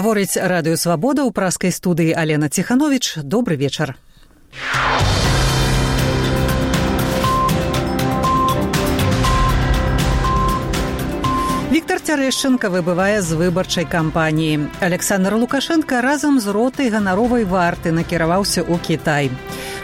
Гаворыць Радыё Свабода ў праскай студыі Алена Ціхановіч. Добры вечар. Віктор Цярэшчынка выбывае з выбарчай кампаніі. Александр Лукашенко разам з ротай ганаровай варты накіраваўся ў Кітай.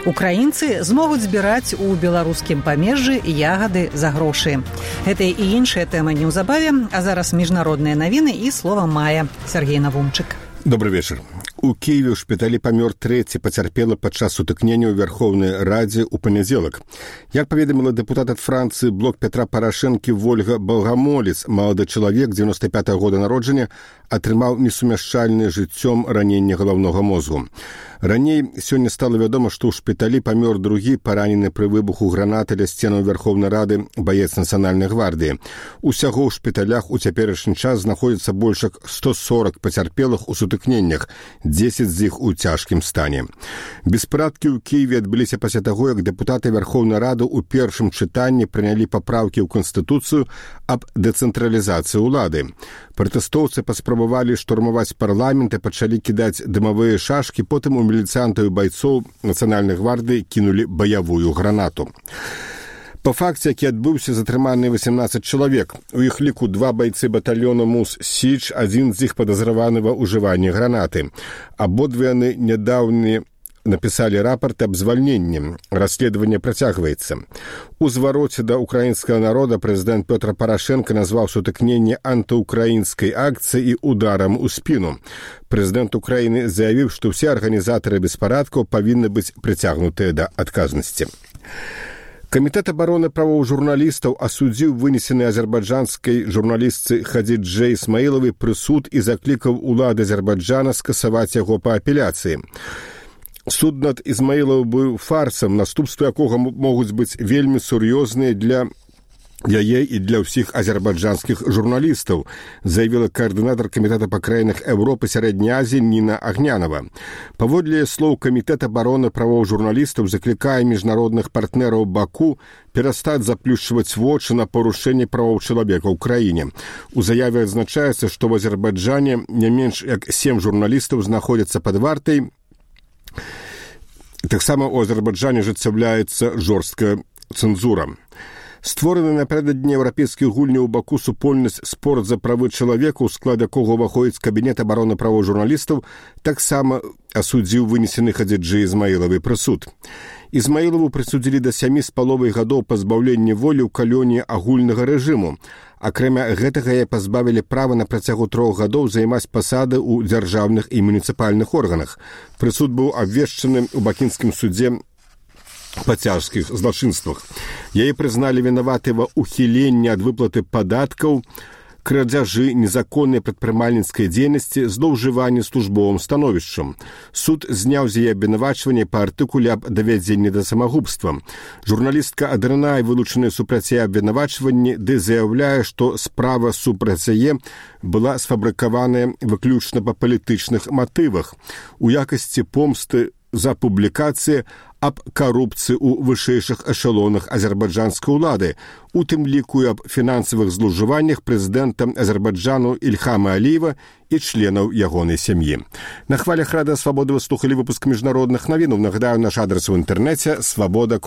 Украінцы змогуць збіраць у беларускім памежжы ягады за грошы. Гэтыя і іншыя тэмы неўзабаве, а зараз міжнародныя навіны і слова мая. Сергей Навумчык. Добрый вечер. У Киеве ў шпіталі памёр трэці пацярпелы падчас сутыкнення ў Верховнай Радзе ў панядзелак. Як паведаміла дэпутат ад Францыі блок Петра Парашэнкі Вольга Балгамолец, малады чалавек 95-го года народжання атрымаў несумяшчальнае жыццём раненне галаўнога мозгу. Раней сёння стала вядома, што ў шпіталі памёр другі паранены пры выбуху гранаты ля сценаў Верховнай Рады баец Нацыянальнай гвардыі. Усяго ў шпіталях у цяперашні час знаходзіцца больш як 140 пацярпелых у сутыкненнях, 10 з іх у цяжкім стане. Беспарадкі ў Кіеве адбыліся пасля таго, як дэпутаты Верховнай Рады ў першым чытанні прынялі папраўкі ў Канстытуцыю аб дэцэнтралізацыі ўлады. Пратэстоўцы паспрабавалі штурмаваць парламент і пачалі кідаць дымавыя шашкі, потым у міліцыянтаў і байцоў Нацыянальнай гвардыі кінулі баявую гранату. Па факце, які адбыўся, затрыманыя 18 чалавек. У іх ліку 2 байцы батальёна МУС-Січ, адзін з іх падазраваны ва ўжыванні гранаты. Абодва яны нядаўна напісалі рапарт аб звальненні. Расследаванне працягваецца. У звароце да украінскага народа прэзідэнт Пётр Парашэнка назваў сутыкненне антыукраінскай акцыі і ударам у спіну. Прэзідэнт Украіны заявіў, што ўсе арганізатары беспарадкаў павінны быць прыцягнутыя да адказнасці. Камітэт абароны правоў журналістаў асудзіў вынесены азербайджанскай журналістцы Хадзіджэ Ісмаілавай прысуд і заклікаў улады Азербайджана скасаваць яго па апеляцыі. Суд над Ізмаілавым быў фарсам, наступствы якога могуць быць вельмі сур'ёзныя для яе і для ўсіх азербайджанскіх журналістаў, заявіла каардынатар камітэта па краінах Еўропы Сярэдняй Азіі Ніна Агнянова. Паводле слоў камітэт абароны правоў журналістаў заклікае міжнародных партнераў Баку перастаць заплюшчваць вочы на парушэнне правоў чалавека ў краіне. У заяве адзначаецца, што ў Азербайджане не менш як 7 журналістаў знаходзяцца пад вартай. Таксама ў Азербайджане ажыццяўляецца жорсткая цэнзура. Створаны напярэдадні еўрапейскіх гульняў у Баку супольнасць «Спорт за правы чалавека», у склад якога ўваходзіць кабінет абароны правоў журналістаў, таксама асудзіў вынесены Хадзіджэ Ісмаілавай прысуд. Ізмаілаву прысудзілі да 7,5 гадоў пазбаўлення волі ў калоніі агульнага рэжыму. Акрамя гэтага яе пазбавілі права на працягу 3 гадоў займаць пасады ў дзяржаўных і муніцыпальных органах. Прысуд быў абвешчаны ў бакінскім судзе па цяжкіх злачынствах. Яе прызналі вінаватай ва ўхіленні ад выплаты падаткаў, крадзяжы, незаконнай прадпрымальніцкай дзейнасці, злоўжыванні службовым становішчам. Суд зняў з яе абвінавачванне па артыкуле аб давядзенні да самагубства. Журналістка адрынае вылучаныя супраць яе абвінавачванні, ды заяўляе, што справа супраць яе была сфабрыкаваная выключна па палітычных матывах у якасці помсты за публікацыі аб карупцыі ў вышэйшых эшалонах азербайджанскай улады, у тым ліку аб фінансавых злоўжываннях прэзідэнта Азербайджану Ільхама Аліева і членаў ягонай сям'і. На хвалях Радыё Свабода вы слухалі выпуск міжнародных навінаў. Нагадаю, наш адрас у інтэрнэце свабода.